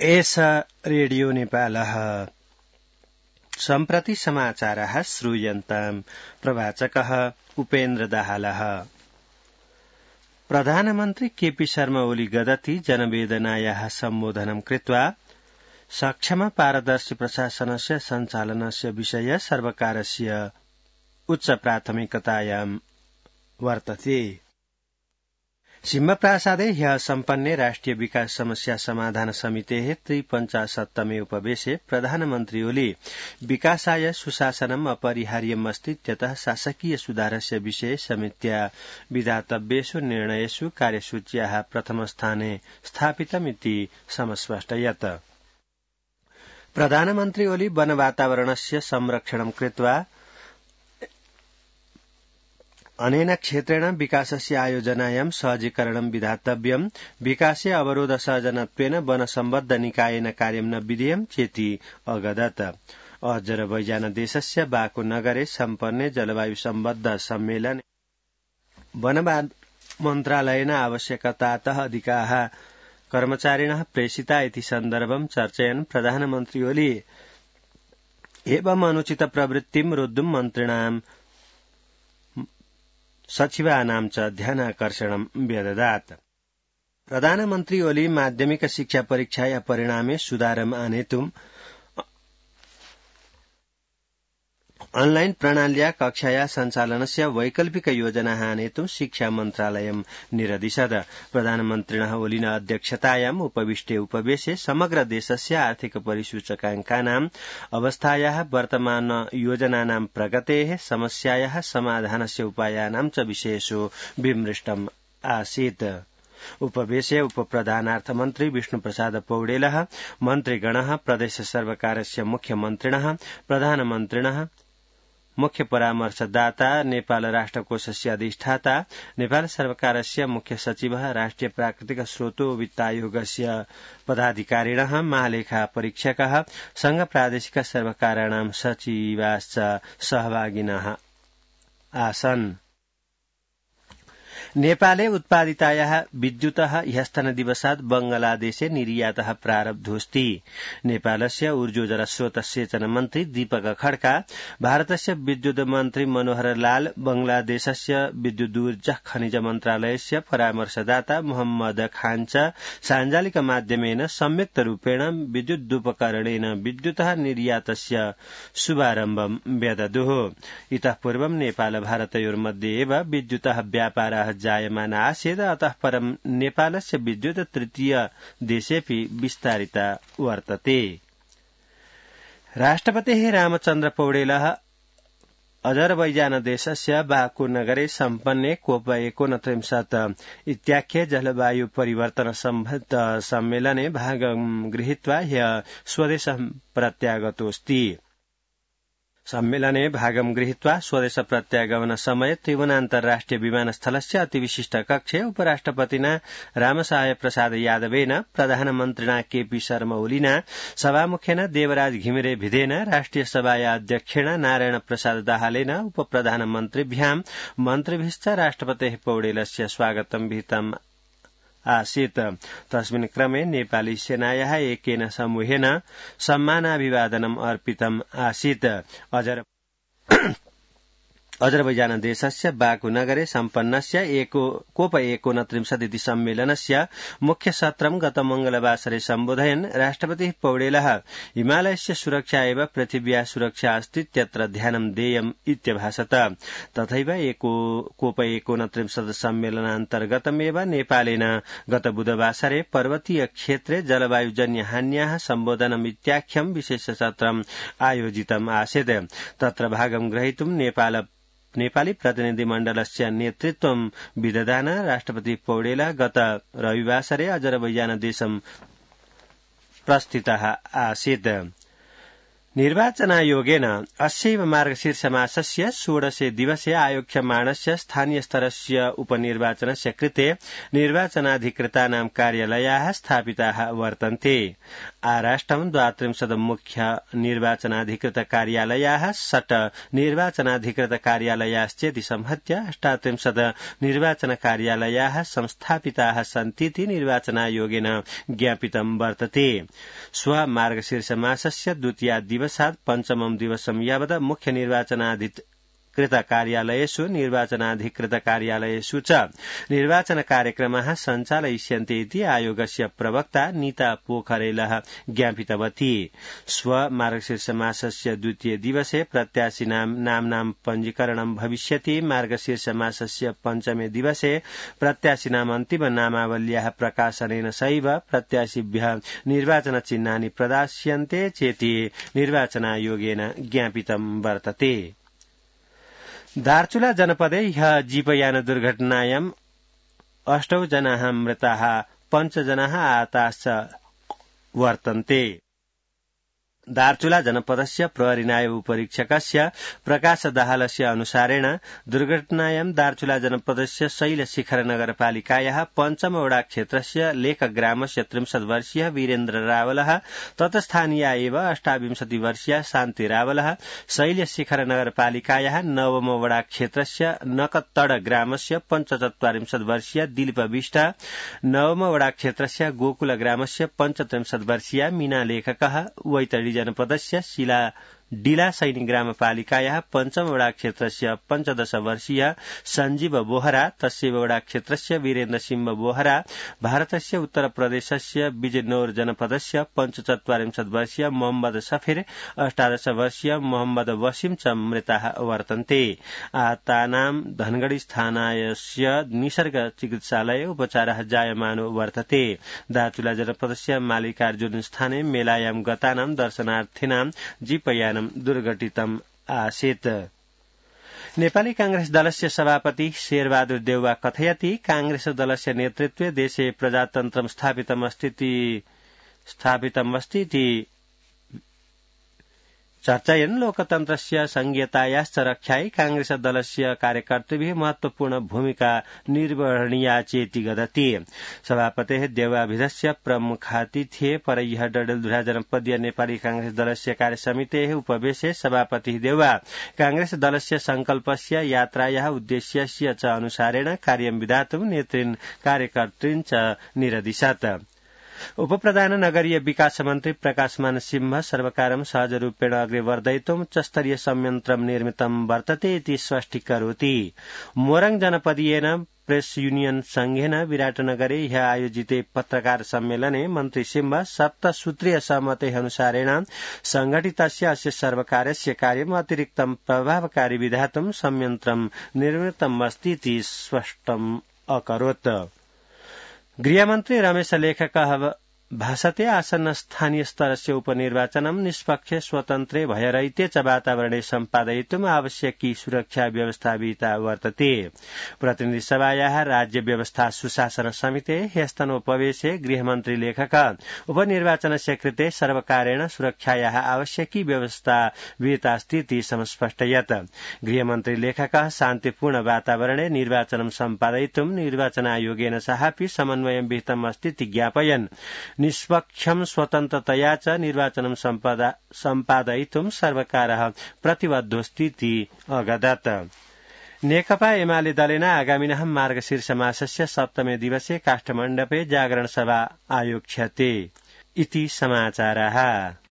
एष रेडियो नेपालः सम्प्रति समाचारः श्रूयन्ताम् प्रवाचकः उपेन्द्र दाहालः। प्रधानमन्त्री केपी शर्मा ओली गदति जनवेदनायाः सम्बोधनं कृत्वा सक्षम पारदर्शी प्रशासनस्य सञ्चालनस्य विषय सर्वकारस्य उच्च प्राथमिकतायां वर्तते। सिंहप्रासादे ह्यः सम्पन्ने राष्ट्रिय विकास समस्या समाधान समितेः 53तमे उपवेशे प्रधानमन्त्री ओली विकासाय सुशासनम् अपरिहार्यम् अस्ति इत्यतः शासकीय सुधारस्य विषये समित्या विधातव्येषु निर्णयेषु कार्यसूच्याः प्रथमस्थाने स्थापितमिति समस्पष्टयत्। प्रधानमन्त्री ओली वन वातावरणस्य संरक्षणं कृत्वा अनेन क्षेत्रेण विकासस्य आयोजनायां सहजीकरणं विधातव्यम्, विकासे अवरोध सर्जनत्वेन वन सम्बद्ध निकायेन कार्यं न विधेयं चेति अगदत्। अजरबैजान देशस्य बाकु नगरे सम्पन्ने जलवायु सम्बद्ध सम्मेलने वन मन्त्रालयेन आवश्यकतातः अधिकाः कर्मचारिणः प्रेषिता इति सन्दर्भं चर्चयन् प्रधानमन्त्री ओली एवम् अनुचित प्रवृत्तिं रोद्धुं मन्त्रिणां सचिवानां च ध्यानाकर्षणं व्यददात्। प्रधानमन्त्री ओली माध्यमिक शिक्षा परीक्षाया परिणामे सुधारम् आनेतुम् ऑनलाइन प्रणाल्या कक्षाया सञ्चालनस्य वैकल्पिक योजनाः आनेतुं शिक्षा मन्त्रालयं निरदिशत्। प्रधानमन्त्रिणः ओलिना अध्यक्षतायाम् उपविष्टे उपवेशे समग्र देशस्य आर्थिक परिसूचकाङ्कानाम् अवस्थायाः वर्तमान योजनानां प्रगतेः समस्यायाः समाधानस्य उपायानां च विषयेषु विमृष्टम् आसीत्। उपवेशे उपप्रधानार्थमन्त्री विष्णुप्रसाद पौडेलः, मन्त्रिगणः, प्रदेश सर्वकारस्य मुख्यमन्त्रिणः, प्रधानमन्त्रिणः, मुख्य परामर्शदाता, नेपाल राष्ट्रकोषस्य अधिष्ठाता, नेपाल सर्वकारस्य मुख्य सचिवः, राष्ट्रिय प्राकृतिक स्रोतो वित्तायोगस्य पदाधिकारिणः, महालेखा परीक्षकः, संघ प्रादेशिक सर्वकाराणां सचिवाश्च सहभागिनः आसन्। नेपाले उत्पादितायाः विद्युतः ह्यस्तनदिवसात् बंगलादेशे निर्यातः प्रारब्धोऽस्ति। नेपालस्य ऊर्जो जलस्रोत सेचन मन्त्री दीपक खड्का, भारतस्य विद्युत मन्त्री मनोहर लाल, बंगलादेशस्य विद्युदूर्जा खनिज मन्त्रालयस्य परामर्शदाता मोहम्मद खान च साञ्जालिक माध्यमेन संयुक्त रूपेण विद्युदुपकरणेन विद्युतः निर्यातस्य शुभारम्भं व्यददुः। इतः पूर्वं नेपाल भारतयोर्मध्ये एव विद्युतः व्यापारः जायमान आसीत्, अतः परं नेपालस्य विद्युत तृतीय देशेऽपि विस्तारिता वर्तते। राष्ट्रपतिः रामचन्द्र पौडेलः अजरबैजान देशस्य बाकु नगरे सम्पन्ने कोप 29 इत्याख्ये जलवायु परिवर्तन सम्बद्ध सम्मेलने भागं गृहीत्वा ह्यः स्वदेशं प्रत्यागतोऽस्ति। सम्मेलने भागं गृहीत्वा स्वदेश प्रत्यागमन समये त्रिभुवनान्तर्राष्ट्रिय विमानस्थलस्य अतिविशिष्ट कक्षे उपराष्ट्रपतिना रामसहाय प्रसाद यादवेन, प्रधानमन्त्रिणा केपी शर्मा ओलिना, सभामुखेन देवराज घिमिरे भिदेन, राष्ट्रिय सभाया अध्यक्षेण नारायण प्रसाद दाहालेन, उपप्रधानमन्त्रिभ्यां मन्त्रिभिश्च राष्ट्रपतेः पौडेलस्य स्वागतं विहितम् आसीत्। तस्मिन् क्रमे नेपाली सेनायाः एकेन समूहेन सम्मानाभिवादनम् अर्पितम् आसीत्। अजरबैजान देशस्य बाकु नगरे सम्पन्नस्य कोप 29 इति सम्मेलनस्य मुख्य सत्रं गत मंगलवासरे सम्बोधयन् राष्ट्रपतिः पौडेलः हिमालयस्य सुरक्षा एव पृथिव्याः सुरक्षा अस्ति इत्यत्र ध्यानं देयम् इत्यभाषत। तथैव कोप 29 सम्मेलनान्तर्गतमेव नेपालेन गत बुधवासरे पर्वतीय क्षेत्रे जलवायुजन्य हान्याः सम्बोधनम् इत्याख्यं विशेष सत्रम् आयोजितम् आसीत्। तत्र भागं ग्रहीतुं नेपाली प्रतिनिधिमण्डलस्य नेतृत्वं विदधान राष्ट्रपति पौडेलः गत रविवासरे अजरबैजान देशं प्रस्थितः आसीत्। निर्वाचनायोगेन अस्यैव मार्गशीर्षमासस्य 16 दिवसे आयोक्ष्यमाणस्य स्थानीयस्तरस्य उपनिर्वाचनस्य कृते निर्वाचनाधिकृतानां कार्यालयाः स्थापिताः वर्तन्ते। आराष्ट्रं 32 मुख्य निर्वाचनाधिकृत कार्यालयाः 6 निर्वाचनाधिकृत कार्यालयाश्चेति संहत्य 38 निर्वाचन कार्यालयाः संस्थापिताः सन्तीति निर्वाचनायोगेन ज्ञापितं वर्तते। श्व मार्गशीर्षमासस्य द्वितीया दिवसात् पञ्चमं दिवसं यावत् मुख्य निर्वाचनाधिकृत कार्यालयेषु निर्वाचनाधिकृत कार्यालयेषु च निर्वाचन कार्यक्रमाः सञ्चालयिष्यन्ते इति आयोगस्य प्रवक्ता नीता पोखरेलः ज्ञापितवती। श्व मार्गशीर्षमासस्य द्वितीय दिवसे प्रत्याशिनां नाम्नां पञ्जीकरणं भविष्यति। मार्गशीर्षमासस्य पञ्चमे दिवसे प्रत्याशिनाम् अन्तिम नामावल्याः प्रकाशनेन सैव प्रत्याशिभ्यः निर्वाचनचिह्नानि प्रदास्यन्ते चेति निर्वाचनायोगेन ज्ञापितं वर्तते। दार्चुला जनपदे ह्यः जीपयान दुर्घटनायाम् 8 जनाः मृताः 5 जनाः आहताश्च वर्तन्ते। दार्चुला जनपदस्य प्रहरी नायब उपरीक्षकस्य प्रकाश दाहालस्य अनुसारेण दुर्घटनायां दार्चुला जनपदस्य शैलशिखर नगरपालिकायाः पञ्चमवडा क्षेत्रस्य लेखग्रामस्य 63 वर्षीयः वीरेन्द्र रावलः तत्स्थानीया एव 28 वर्षीया शान्ति रावलः, शैलशिखर नगरपालिकायाः नवमवडा क्षेत्रस्य नकतड ग्रामस्य 45 वर्षीया दिलीप विष्ट, नवमवडा क्षेत्रस्य गोकुल ग्रामस्य 35 वर्षीया मीना लेखकः, वैतडी जनपदस्य डिला सैनिक ग्रामपालिकायाः पञ्चमवडा क्षेत्रस्य 15 वर्षीय सञ्जीव बोहरा, तस्यैव क्षेत्रस्य वीरेन्द्र सिंह बोहरा, भारतस्य उत्तर प्रदेशस्य बिजनौर जनपदस्य 45 वर्षीय मोहम्मद सफिर, 18 वर्षीय मोहम्मद वसीम च मृताः वर्तन्ते। आहतानां धनगढ़ी स्थानास्य निसर्ग चिकित्सालये उपचारः जायमानो वर्तते। दार्चुला जनपदस्य मालिकार्जुन स्थाने मेलायां गतानां दर्शनार्थिनां जीपयान दुर्घटितम् आसीत्। नेपाली कांग्रेस दलस्य सभापति शेरबहादुर देउवा कथयति कांग्रेस दलस्य नेतृत्वे देशे प्रजातन्त्रं स्थापितमस्ति चर्चयन् लोकतन्त्रस्य संघीयतायाश्च रक्षायै कांग्रेस दलस्य कार्यकर्तृभिः महत्वपूर्ण भूमिका निर्वहणीया चेति वदति। सभापतेः देवाभिधस्य प्रमुखातिथ्ये परह्यः डडेलधुरा जनपदीय नेपाली कांग्रेस दलस्य कार्यसमितेः उपवेशे सभापतिः देउवा कांग्रेस दलस्य संकल्पस्य यात्रायाः उद्देश्यस्य च अनुसारेण कार्यं विधातुं नेतृन् कार्यकर्तृन् च निरदिशत्। उपप्रधान नगरीय विकास मन्त्री प्रकाशमान सिंह सर्वकारं सहजरूपेण अग्रे वर्धयितुं उच्चस्तरीय संयन्त्रं निर्मितं वर्तते इति स्पष्टीकरोति। मोरङ जनपदीयेन प्रेस यूनियन संघेन विराटनगरे ह्यः आयोजिते पत्रकार सम्मेलने मन्त्री सिंह 7 सूत्रीय सहमते अनुसारेण संघटितस्य अस्य सर्वकारस्य कार्यम् अतिरिक्तं प्रभावकारी विधातुं संयन्त्रं निर्मितमस्ति इति स्पष्टम् अकरोत्। गृहमन्त्री रमेश लेखकः भाषते आसन्न स्थानीय स्तरस्य उपनिर्वाचनं निष्पक्ष स्वतन्त्रे भयरहिते च वातावरणे सम्पादयितुम् आवश्यकी सुरक्षा व्यवस्था विहिता वर्तते। प्रतिनिधि सभायाः राज्य व्यवस्था सुशासन समिते ह्यस्तनोपवेशे गृहमन्त्री लेखक उपनिर्वाचनस्य कृते सर्वकारेण सुरक्षायाः आवश्यकी व्यवस्था विहितास्ति इति समस्पष्टयत्। गृहमन्त्री लेखकः शान्तिपूर्ण वातावरणे निर्वाचनं सम्पादयितुम् निर्वाचन आयोगेन सहापि समन्वयं विहितम् अस्ति इति ज्ञापयन् निष्पक्षं स्वतन्त्रतया च निर्वाचनं सम्पादयितुं सर्वकारः प्रतिबद्धोऽस्ति इति अवदत्। नेकपा एमाले दलेन आगामिनः मार्गशीर्षमासस्य 7मे दिवसे काष्ठमण्डपे जागरण सभा आयोक्ष्यते इति समाचारः।